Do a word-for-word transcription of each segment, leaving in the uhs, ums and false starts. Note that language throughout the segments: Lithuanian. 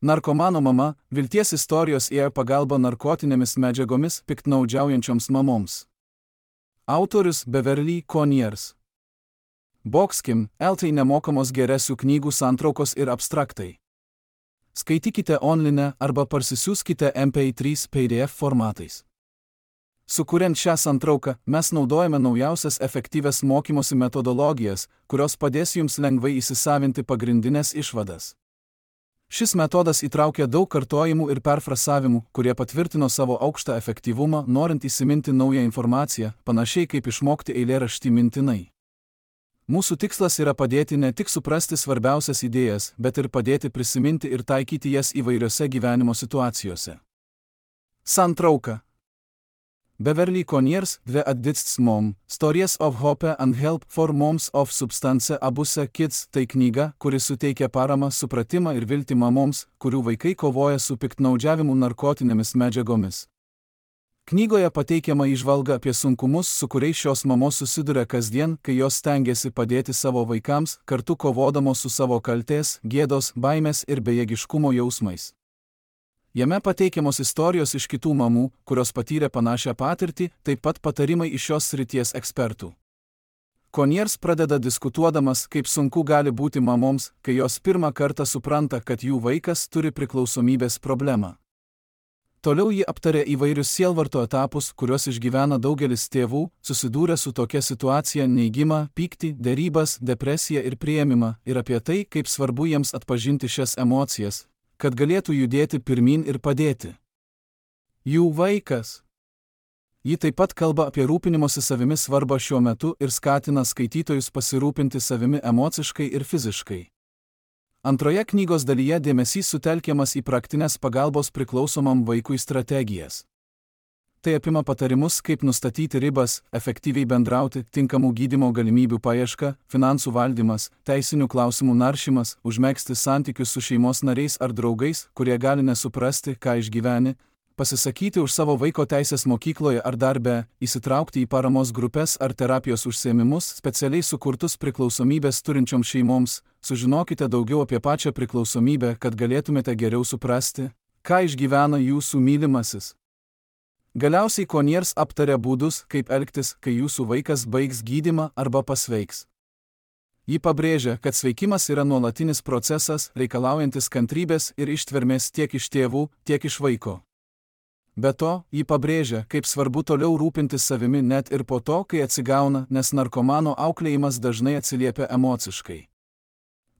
Narkomano mama, vilties istorijos ėjo pagalba narkotinėmis medžiagomis piktnaudžiaujančioms mamoms. Autorius Beverly Conyers. Boxkim, eltai nemokamos geresių knygų santraukos ir abstraktai. Skaitykite online arba parsisiųskite M P trys P D F formatais. Sukuriant šią santrauką, mes naudojame naujausias efektyvias mokymosi metodologijas, kurios padės jums lengvai įsisavinti pagrindinės išvadas. Šis metodas įtraukia daug kartojimų ir perfrasavimų, kurie patvirtino savo aukštą efektyvumą, norint įsiminti naują informaciją, panašiai kaip išmokti eilėraštį mintinai. Mūsų tikslas yra padėti ne tik suprasti svarbiausias idėjas, bet ir padėti prisiminti ir taikyti jas įvairiose gyvenimo situacijose. Santrauka. Beverly Conyers, The Addict's Mom, Stories of Hope and Help for Moms of Substance Abuse Kids – tai knyga, kuri suteikia paramą, supratimą ir viltį mamoms, kurių vaikai kovoja su piktnaudžiavimu narkotinėmis medžiagomis. Knygoje pateikiama įžvalga apie sunkumus, su kuriais šios mamos susiduria kasdien, kai jos stengiasi padėti savo vaikams, kartu kovodamos su savo kaltės, gėdos, baimės ir bejėgiškumo jausmais. Jame pateikiamos istorijos iš kitų mamų, kurios patyrė panašią patirtį, taip pat patarimai iš šios srities ekspertų. Conyers pradeda diskutuodamas, kaip sunku gali būti mamoms, kai jos pirmą kartą supranta, kad jų vaikas turi priklausomybės problemą. Toliau ji aptarė įvairius sielvarto etapus, kuriuos išgyvena daugelis tėvų, susidūrę su tokia situacija: neigimą, pyktį, derybas, depresiją ir priėmimą, ir apie tai, kaip svarbu jiems atpažinti šias emocijas, kad galėtų judėti pirmin ir padėti. Jų vaikas. Ji taip pat kalba apie rūpinimosi savimi svarbą šiuo metu ir skatina skaitytojus pasirūpinti savimi emociškai ir fiziškai. Antroje knygos dalyje dėmesys sutelkiamas į praktinės pagalbos priklausomam vaikui strategijas. Tai apima patarimus, kaip nustatyti ribas, efektyviai bendrauti, tinkamų gydymo galimybių paieška, finansų valdymas, teisinių klausimų naršymas, užmegzti santykius su šeimos nariais ar draugais, kurie gali nesuprasti, ką išgyveni, pasisakyti už savo vaiko teisės mokykloje ar darbe, įsitraukti į paramos grupės ar terapijos užsiėmimus, specialiai sukurtus priklausomybės turinčioms šeimoms. Sužinokite daugiau apie pačią priklausomybę, kad galėtumėte geriau suprasti, ką išgyvena jūsų mylimasis. Galiausiai Conyers aptarė būdus, kaip elgtis, kai jūsų vaikas baigs gydymą arba pasveiks. Ji pabrėžia, kad sveikimas yra nuolatinis procesas, reikalaujantis kantrybės ir ištvermės tiek iš tėvų, tiek iš vaiko. Be to, ji pabrėžia, kaip svarbu toliau rūpintis savimi net ir po to, kai atsigauna, nes narkomano auklėjimas dažnai atsiliepia emociškai.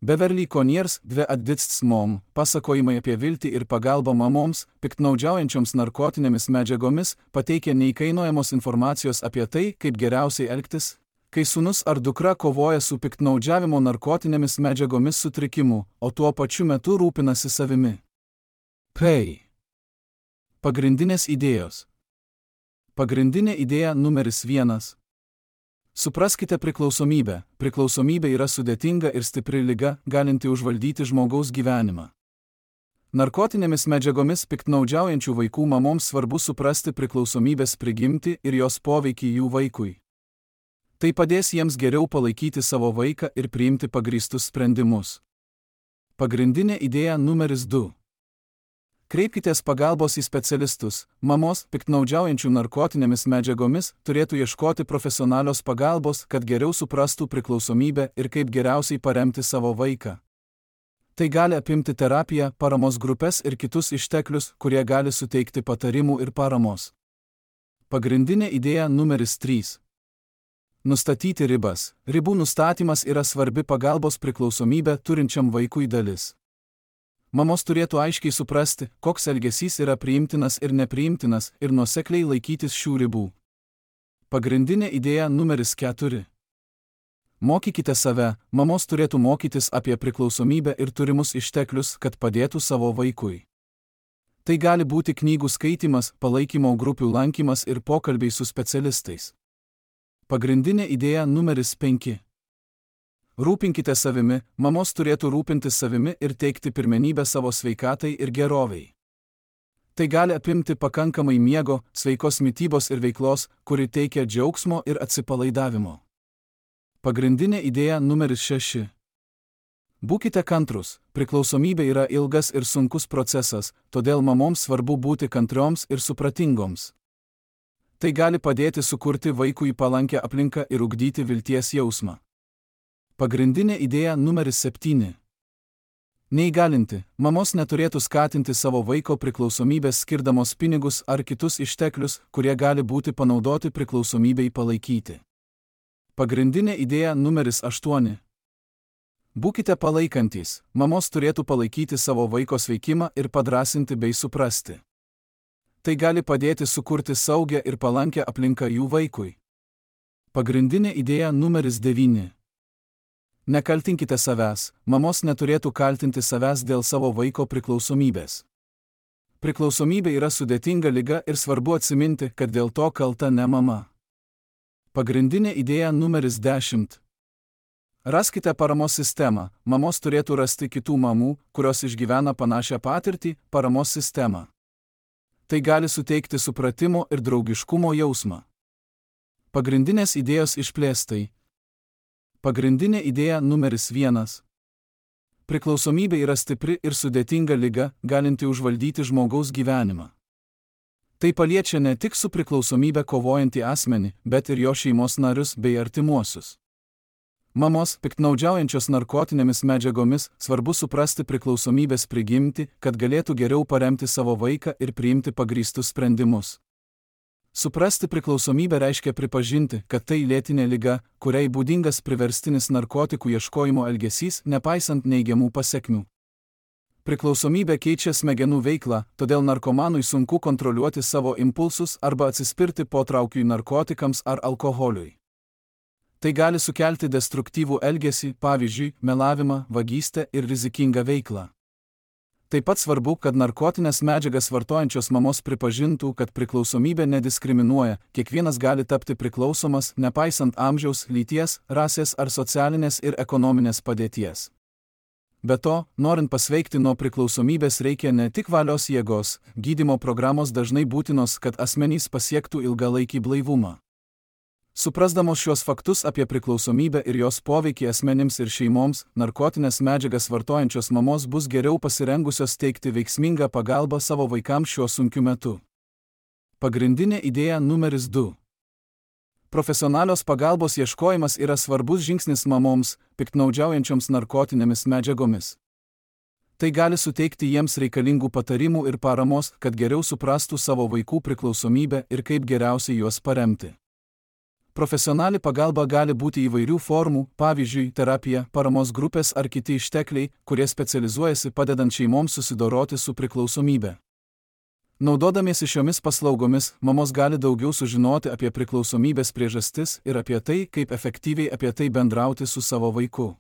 Beverly Conyers, The Addict's Mom, pasakojimai apie viltį ir pagalbą mamoms, piktnaudžiaujančioms narkotinėmis medžiagomis, pateikia neįkainojamos informacijos apie tai, kaip geriausiai elgtis, kai sūnus ar dukra kovoja su piktnaudžiavimo narkotinėmis medžiagomis sutrikimu, o tuo pačiu metu rūpinasi savimi. P. Pagrindinės idėjos. Pagrindinė idėja numeris vienas. Supraskite priklausomybę. Priklausomybė yra sudėtinga ir stipri liga, galinti užvaldyti žmogaus gyvenimą. Narkotinėmis medžiagomis piktnaudžiaujančių vaikų mamoms svarbu suprasti priklausomybės prigimtį ir jos poveikį jų vaikui. Tai padės jiems geriau palaikyti savo vaiką ir priimti pagrįstus sprendimus. Pagrindinė idėja numeris du. Kreipkitės pagalbos į specialistus. Mamos, piktnaudžiaujančių narkotinėmis medžiagomis, turėtų ieškoti profesionalios pagalbos, kad geriau suprastų priklausomybę ir kaip geriausiai paremti savo vaiką. Tai gali apimti terapiją, paramos grupės ir kitus išteklius, kurie gali suteikti patarimų ir paramos. Pagrindinė idėja numeris trys. Nustatyti ribas. Ribų nustatymas yra svarbi pagalbos priklausomybę turinčiam vaikui dalis. Mamos turėtų aiškiai suprasti, koks elgesys yra priimtinas ir nepriimtinas, ir nuosekliai laikytis šių ribų. Pagrindinė idėja numeris keturi. Mokykite save. Mamos turėtų mokytis apie priklausomybę ir turimus išteklius, kad padėtų savo vaikui. Tai gali būti knygų skaitymas, palaikymo grupių lankymas ir pokalbiai su specialistais. Pagrindinė idėja numeris penki. Rūpinkite savimi. Mamos turėtų rūpintis savimi ir teikti pirmenybę savo sveikatai ir gerovei. Tai gali apimti pakankamai miego, sveikos mitybos ir veiklos, kuri teikia džiaugsmo ir atsipalaidavimo. Pagrindinė idėja numeris šeši. Būkite kantrūs, priklausomybė yra ilgas ir sunkus procesas, todėl mamoms svarbu būti kantrioms ir supratingoms. Tai gali padėti sukurti vaikui palankę aplinką ir ugdyti vilties jausmą. Pagrindinė idėja numeris septyni. Neįgalinti, mamos neturėtų skatinti savo vaiko priklausomybės skirdamos pinigus ar kitus išteklius, kurie gali būti panaudoti priklausomybei palaikyti. Pagrindinė idėja numeris aštuoni. Būkite palaikantys, mamos turėtų palaikyti savo vaiko sveikimą ir padrasinti bei suprasti. Tai gali padėti sukurti saugią ir palankę aplinką jų vaikui. Pagrindinė idėja numeris devyni. Nekaltinkite savęs, mamos neturėtų kaltinti savęs dėl savo vaiko priklausomybės. Priklausomybė yra sudėtinga liga ir svarbu atsiminti, kad dėl to kalta ne mama. Pagrindinė idėja numeris dešimt. Raskite paramos sistemą, mamos turėtų rasti kitų mamų, kurios išgyvena panašią patirtį, paramos sistemą. Tai gali suteikti supratimo ir draugiškumo jausmą. Pagrindinės idėjos išplėstai. Pagrindinė idėja numeris vienas. Priklausomybė yra stipri ir sudėtinga liga, galinti užvaldyti žmogaus gyvenimą. Tai paliečia ne tik su priklausomybė kovojantį asmenį, bet ir jo šeimos narius bei artimuosius. Mamos, piktnaudžiaujančios narkotinėmis medžiagomis, svarbu suprasti priklausomybės prigimtį, kad galėtų geriau paremti savo vaiką ir priimti pagrįstus sprendimus. Suprasti priklausomybę reiškia pripažinti, kad tai lėtinė liga, kuriai būdingas priverstinis narkotikų ieškojimo elgesys, nepaisant neigiamų pasekmių. Priklausomybė keičia smegenų veiklą, todėl narkomanui sunku kontroliuoti savo impulsus arba atsispirti potraukiui narkotikams ar alkoholiui. Tai gali sukelti destruktyvų elgesį, pavyzdžiui, melavimą, vagystę ir rizikingą veiklą. Taip pat svarbu, kad narkotinės medžiagas vartojančios mamos pripažintų, kad priklausomybė nediskriminuoja, kiekvienas gali tapti priklausomas, nepaisant amžiaus, lyties, rasės ar socialinės ir ekonominės padėties. Be to, norint pasveikti nuo priklausomybės reikia ne tik valios jėgos, gydymo programos dažnai būtinos, kad asmenys pasiektų ilgalaikį blaivumą. Suprasdamos šios faktus apie priklausomybę ir jos poveikį asmenims ir šeimoms, narkotinės medžiagas vartojančios mamos bus geriau pasirengusios teikti veiksmingą pagalbą savo vaikams šiuo sunkiu metu. Pagrindinė idėja numeris du. Profesionalios pagalbos ieškojimas yra svarbus žingsnis mamoms, piktnaudžiaujančioms narkotinėmis medžiagomis. Tai gali suteikti jiems reikalingų patarimų ir paramos, kad geriau suprastų savo vaikų priklausomybę ir kaip geriausiai juos paremti. Profesionali pagalba gali būti įvairių formų, pavyzdžiui, terapija, paramos grupės ar kiti ištekliai, kurie specializuojasi padedant šeimoms susidoroti su priklausomybe. Naudodamiesi šiomis paslaugomis, mamos gali daugiau sužinoti apie priklausomybės priežastis ir apie tai, kaip efektyviai apie tai bendrauti su savo vaiku.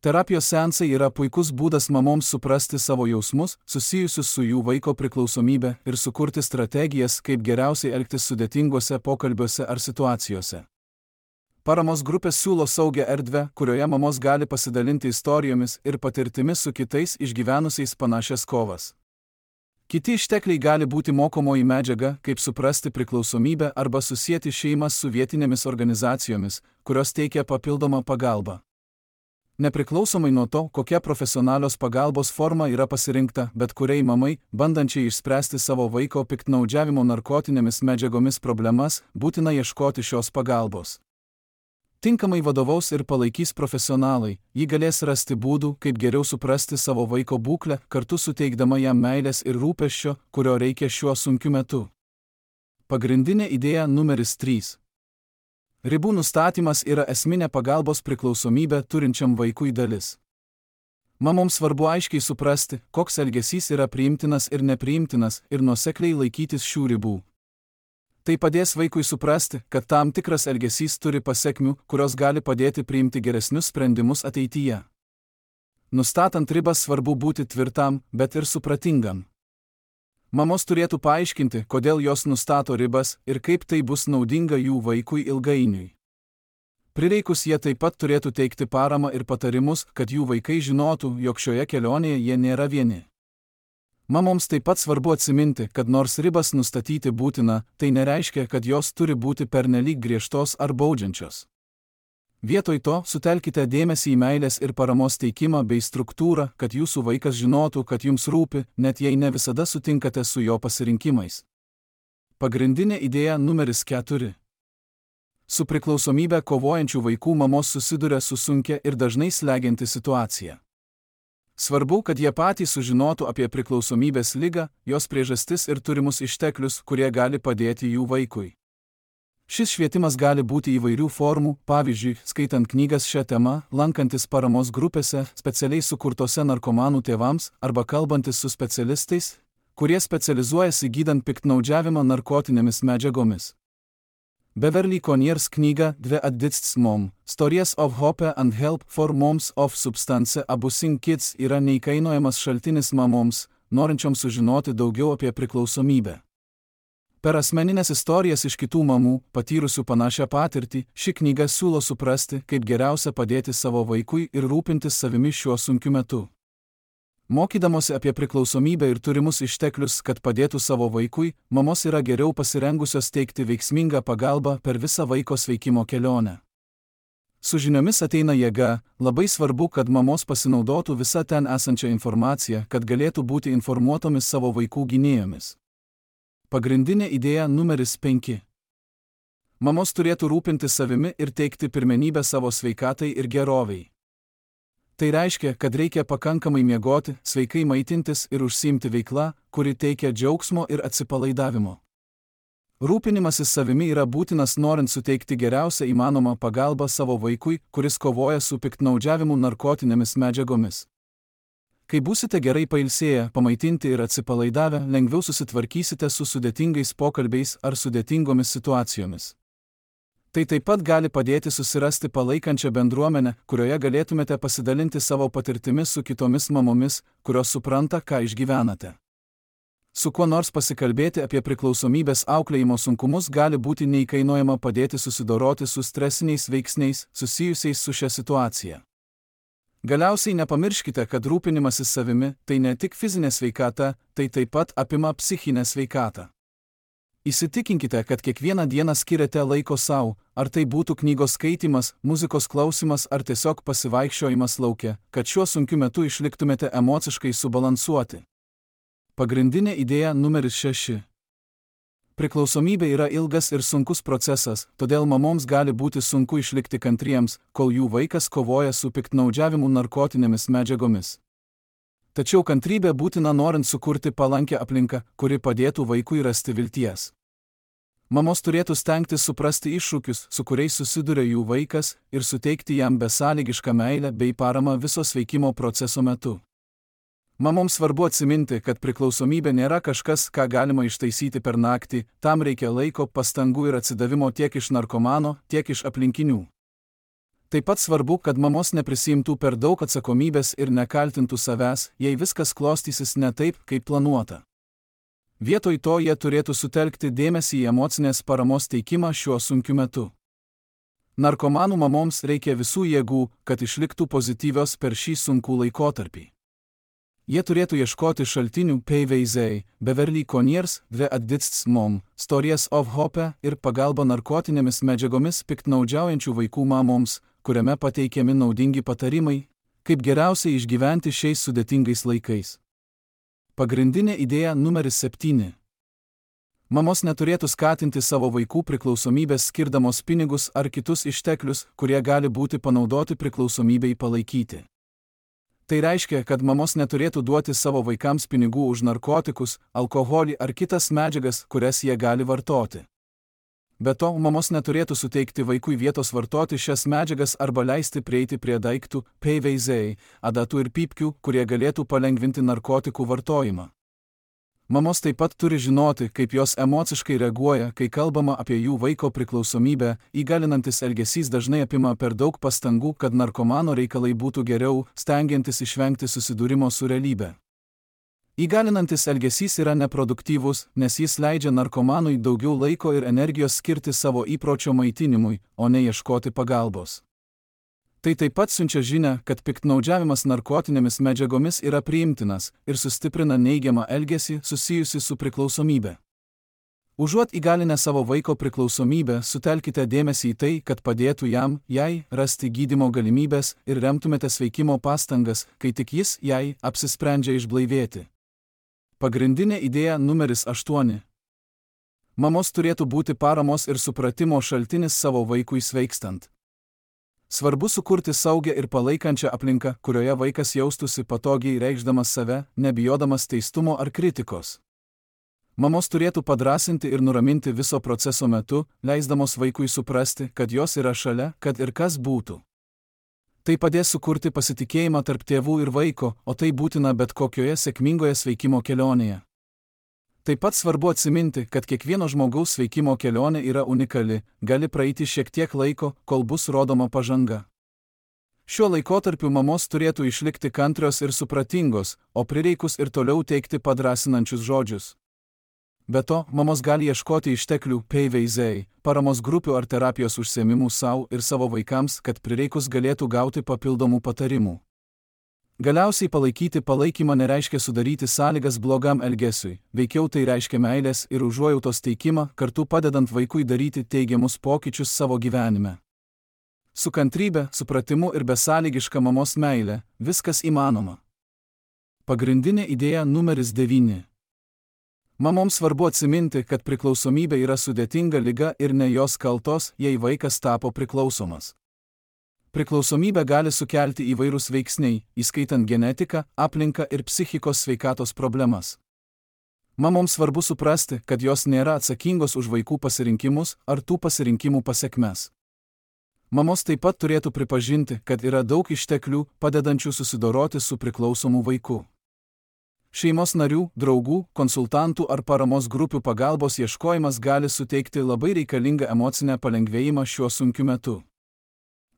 Terapijos seansai yra puikus būdas mamoms suprasti savo jausmus, susijusius su jų vaiko priklausomybė ir sukurti strategijas, kaip geriausiai elgtis sudėtingose pokalbiuose ar situacijose. Paramos grupės siūlo saugią erdvę, kurioje mamos gali pasidalinti istorijomis ir patirtimis su kitais išgyvenusiais panašias kovas. Kiti ištekliai gali būti mokomoji medžiaga, kaip suprasti priklausomybę arba susieti šeimas su vietinėmis organizacijomis, kurios teikia papildomą pagalbą. Nepriklausomai nuo to, kokia profesionalios pagalbos forma yra pasirinkta, bet kuriai mamai, bandančiai išspręsti savo vaiko piktnaudžiavimo narkotinėmis medžiagomis problemas, būtina ieškoti šios pagalbos. Tinkamai vadovaus ir palaikys profesionalai, ji galės rasti būdų, kaip geriau suprasti savo vaiko būklę, kartu suteikdama jam meilės ir rūpesčio, kurio reikia šiuo sunkiu metu. Pagrindinė idėja numeris trys. Ribų nustatymas yra esminė pagalbos priklausomybę turinčiam vaikui dalis. Mamoms svarbu aiškiai suprasti, koks elgesys yra priimtinas ir nepriimtinas ir nuosekliai laikytis šių ribų. Tai padės vaikui suprasti, kad tam tikras elgesys turi pasekmių, kurios gali padėti priimti geresnius sprendimus ateityje. Nustatant ribas svarbu būti tvirtam, bet ir supratingam. Mamos turėtų paaiškinti, kodėl jos nustato ribas ir kaip tai bus naudinga jų vaikui ilgainiui. Prireikus jie taip pat turėtų teikti paramą ir patarimus, kad jų vaikai žinotų, jog šioje kelionėje jie nėra vieni. Mamoms taip pat svarbu atsiminti, kad nors ribas nustatyti būtina, tai nereiškia, kad jos turi būti pernelyg griežtos ar baudžiančios. Vietoj to sutelkite dėmesį į meilės ir paramos teikimą bei struktūrą, kad jūsų vaikas žinotų, kad jums rūpi, net jei ne visada sutinkate su jo pasirinkimais. Pagrindinė idėja numeris keturi. Su priklausomybe kovojančių vaikų mamos susiduria su sunkia ir dažnai slegianti situacija. Svarbu, kad jie patys sužinotų apie priklausomybės ligą, jos priežastis ir turimus išteklius, kurie gali padėti jų vaikui. Šis švietimas gali būti įvairių formų, pavyzdžiui, skaitant knygas šią temą, lankantis paramos grupėse, specialiai sukurtose narkomanų tėvams arba kalbantis su specialistais, kurie specializuojasi gydant piktnaudžiavimą narkotinėmis medžiagomis. Beverly Coniers knyga The Addicts Mom – Stories of Hope and Help for Moms of Substance Abusing Kids yra neįkainojamas šaltinis mamoms, norinčioms sužinoti daugiau apie priklausomybę. Per asmeninės istorijas iš kitų mamų, patyrusių panašią patirtį, ši knyga siūlo suprasti, kaip geriausia padėti savo vaikui ir rūpintis savimi šiuo sunkiu metu. Mokydamosi apie priklausomybę ir turimus išteklius, kad padėtų savo vaikui, mamos yra geriau pasirengusios teikti veiksmingą pagalbą per visą vaiko sveikimo kelionę. Su žiniomis ateina jėga, labai svarbu, kad mamos pasinaudotų visą ten esančią informaciją, kad galėtų būti informuotomis savo vaikų gynėjomis. Pagrindinė idėja numeris penki. Mamos turėtų rūpintis savimi ir teikti pirmenybę savo sveikatai ir geroviai. Tai reiškia, kad reikia pakankamai miegoti, sveikai maitintis ir užsiimti veikla, kuri teikia džiaugsmo ir atsipalaidavimo. Rūpinimasis savimi yra būtinas norint suteikti geriausią įmanomą pagalbą savo vaikui, kuris kovoja su piktnaudžiavimu narkotinėmis medžiagomis. Kai būsite gerai pailsėję, pamaitinti ir atsipalaidavę, lengviau susitvarkysite su sudėtingais pokalbiais ar sudėtingomis situacijomis. Tai taip pat gali padėti susirasti palaikančią bendruomenę, kurioje galėtumėte pasidalinti savo patirtimis su kitomis mamomis, kurios supranta, ką išgyvenate. Su kuo nors pasikalbėti apie priklausomybės auklėjimo sunkumus gali būti neįkainojama padėti susidoroti su stresiniais veiksniais susijusiais su šia situacija. Galiausiai nepamirškite, kad rūpinimasis savimi tai ne tik fizinė sveikata, tai taip pat apima psichinę sveikatą. Įsitikinkite, kad kiekvieną dieną skiriate laiko savo, ar tai būtų knygos skaitymas, muzikos klausimas ar tiesiog pasivaikščiojimas lauke, kad šiuo sunkiu metu išliktumėte emociškai subalansuoti. Pagrindinė idėja numeris šeši. Priklausomybė yra ilgas ir sunkus procesas, todėl mamoms gali būti sunku išlikti kantriems, kol jų vaikas kovoja su piktnaudžiavimu narkotinėmis medžiagomis. Tačiau kantrybė būtina norint sukurti palankę aplinką, kuri padėtų vaikui rasti vilties. Mamos turėtų stengtis suprasti iššūkius, su kuriais susiduria jų vaikas, ir suteikti jam besąlygišką meilę bei paramą viso sveikimo proceso metu. Mamoms svarbu atsiminti, kad priklausomybė nėra kažkas, ką galima ištaisyti per naktį, tam reikia laiko, pastangų ir atsidavimo tiek iš narkomano, tiek iš aplinkinių. Taip pat svarbu, kad mamos neprisiimtų per daug atsakomybės ir nekaltintų savęs, jei viskas klostysis ne taip, kaip planuota. Vietoj to jie turėtų sutelkti dėmesį į emocinės paramos teikimą šiuo sunkiu metu. Narkomanų mamoms reikia visų jėgų, kad išliktų pozityvios per šį sunkų laikotarpį. Jie turėtų ieškoti šaltinių P V Z, Beverly Coniers, The Addicts Mom – Stories of Hope ir pagalba narkotinėmis medžiagomis piktnaudžiaujančių vaikų mamoms, kuriame pateikiami naudingi patarimai, kaip geriausiai išgyventi šiais sudėtingais laikais. Pagrindinė idėja numeris septyni. Mamos neturėtų skatinti savo vaikų priklausomybės skirdamos pinigus ar kitus išteklius, kurie gali būti panaudoti priklausomybei palaikyti. Tai reiškia, kad mamos neturėtų duoti savo vaikams pinigų už narkotikus, alkoholį ar kitas medžiagas, kurias jie gali vartoti. Be to, mamos neturėtų suteikti vaikui vietos vartoti šias medžiagas arba leisti prieiti prie daiktų, P V Z, adatų ir pypkių, kurie galėtų palengvinti narkotikų vartojimą. Mamos taip pat turi žinoti, kaip jos emociškai reaguoja, kai kalbama apie jų vaiko priklausomybę, įgalinantis elgesys dažnai apima per daug pastangų, kad narkomano reikalai būtų geriau, stengiantis išvengti susidūrimo su realybe. Įgalinantis elgesys yra neproduktyvus, nes jis leidžia narkomanui daugiau laiko ir energijos skirti savo įpročio maitinimui, o ne ieškoti pagalbos. Tai taip pat siunčia žinią, kad piktnaudžiavimas narkotinėmis medžiagomis yra priimtinas ir sustiprina neigiamą elgesį susijusi su priklausomybe. Užuot įgalinę savo vaiko priklausomybę, sutelkite dėmesį į tai, kad padėtų jam, jai, rasti gydymo galimybės ir remtumėte sveikimo pastangas, kai tik jis, jai, apsisprendžia išblaivėti. Pagrindinė idėja numeris aštuoni. Mamos turėtų būti paramos ir supratimo šaltinis savo vaikui sveikstant. Svarbu sukurti saugią ir palaikančią aplinką, kurioje vaikas jaustųsi patogiai reikšdamas save, nebijodamas teistumo ar kritikos. Mamos turėtų padrasinti ir nuraminti viso proceso metu, leisdamos vaikui suprasti, kad jos yra šalia, kad ir kas būtų. Tai padės sukurti pasitikėjimą tarp tėvų ir vaiko, o tai būtina bet kokioje sėkmingoje sveikimo kelionėje. Taip pat svarbu atsiminti, kad kiekvieno žmogaus sveikimo kelionė yra unikali, gali praeiti šiek tiek laiko, kol bus rodoma pažanga. Šiuo laikotarpiu mamos turėtų išlikti kantrios ir supratingos, o prireikus ir toliau teikti padrasinančius žodžius. Be to, mamos gali ieškoti išteklių P V Z, paramos grupių ar terapijos užsiėmimų savo ir savo vaikams, kad prireikus galėtų gauti papildomų patarimų. Galiausiai palaikyti palaikymą nereiškia sudaryti sąlygas blogam elgesiui, veikiau tai reiškia meilės ir užuojautos teikimą, kartu padedant vaikui daryti teigiamus pokyčius savo gyvenime. Su kantrybe, supratimu ir besąlygiška mamos meile viskas įmanoma. Pagrindinė idėja numeris devyni. Mamoms svarbu atsiminti, kad priklausomybė yra sudėtinga liga ir ne jos kaltos, jei vaikas tapo priklausomas. Priklausomybę gali sukelti įvairūs veiksniai, įskaitant genetiką, aplinką ir psichikos sveikatos problemas. Mamoms svarbu suprasti, kad jos nėra atsakingos už vaikų pasirinkimus ar tų pasirinkimų pasekmes. Mamos taip pat turėtų pripažinti, kad yra daug išteklių, padedančių susidoroti su priklausomu vaiku. Šeimos narių, draugų, konsultantų ar paramos grupių pagalbos ieškojimas gali suteikti labai reikalingą emocinę palengvėjimą šiuo sunkiu metu.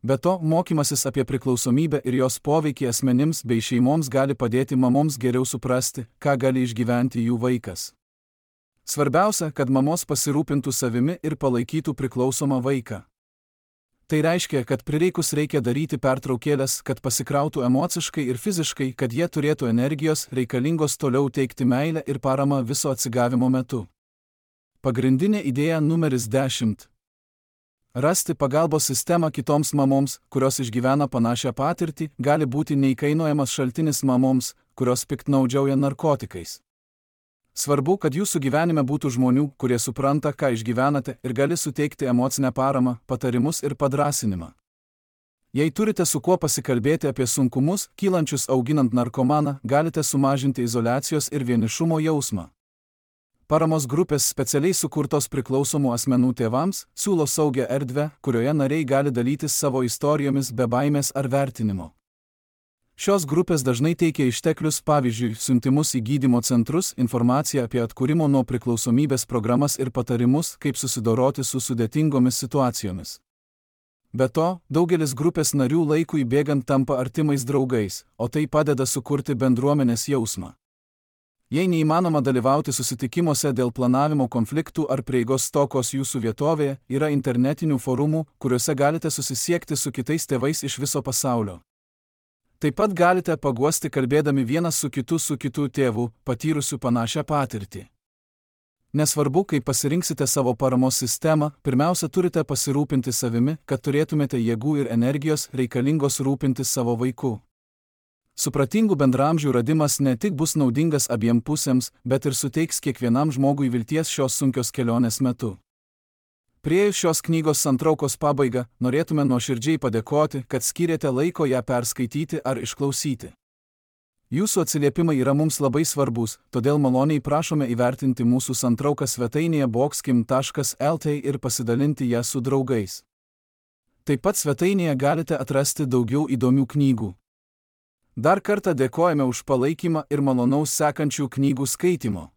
Be to, mokymasis apie priklausomybę ir jos poveikį asmenims bei šeimoms gali padėti mamoms geriau suprasti, ką gali išgyventi jų vaikas. Svarbiausia, kad mamos pasirūpintų savimi ir palaikytų priklausomą vaiką. Tai reiškia, kad prireikus reikia daryti pertraukėlės, kad pasikrautų emociškai ir fiziškai, kad jie turėtų energijos reikalingos toliau teikti meilę ir paramą viso atsigavimo metu. Pagrindinė idėja numeris dešimt. Rasti pagalbos sistemą kitoms mamoms, kurios išgyvena panašią patirtį, gali būti neįkainojamas šaltinis mamoms, kurios piktnaudžiauja narkotikais. Svarbu, kad jūsų gyvenime būtų žmonių, kurie supranta, ką išgyvenate ir gali suteikti emocinę paramą, patarimus ir padrasinimą. Jei turite su kuo pasikalbėti apie sunkumus, kylančius auginant narkomaną, galite sumažinti izoliacijos ir vienišumo jausmą. Paramos grupės specialiai sukurtos priklausomų asmenų tėvams siūlo saugią erdvę, kurioje nariai gali dalytis savo istorijomis be baimės ar vertinimo. Šios grupės dažnai teikia išteklius, pavyzdžiui, siuntimus į gydymo centrus, informaciją apie atkūrimo nuo priklausomybės programas ir patarimus, kaip susidoroti su sudėtingomis situacijomis. Be to, daugelis grupės narių laikui bėgant tampa artimais draugais, o tai padeda sukurti bendruomenės jausmą. Jei neįmanoma dalyvauti susitikimuose dėl planavimo konfliktų ar prieigos stokos jūsų vietovėje, yra internetinių forumų, kuriuose galite susisiekti su kitais tėvais iš viso pasaulio. Taip pat galite paguosti kalbėdami vienas su kitu su kitų tėvų, patyrusių panašią patirtį. Nesvarbu, kaip pasirinksite savo paramos sistemą, pirmiausia turite pasirūpinti savimi, kad turėtumėte jėgų ir energijos reikalingos rūpintis savo vaiku. Supratingų bendraamžių radimas ne tik bus naudingas abiem pusėms, bet ir suteiks kiekvienam žmogui vilties šios sunkios kelionės metu. Priėjus šios knygos santraukos pabaigą, norėtume nuoširdžiai padėkoti, kad skyrėte laiko ją perskaityti ar išklausyti. Jūsų atsiliepimai yra mums labai svarbus, todėl maloniai prašome įvertinti mūsų santrauką svetainėje boxkim taškas el t ir pasidalinti ją su draugais. Taip pat svetainėje galite atrasti daugiau įdomių knygų. Dar kartą dėkojame už palaikymą ir malonaus sekančių knygų skaitimo.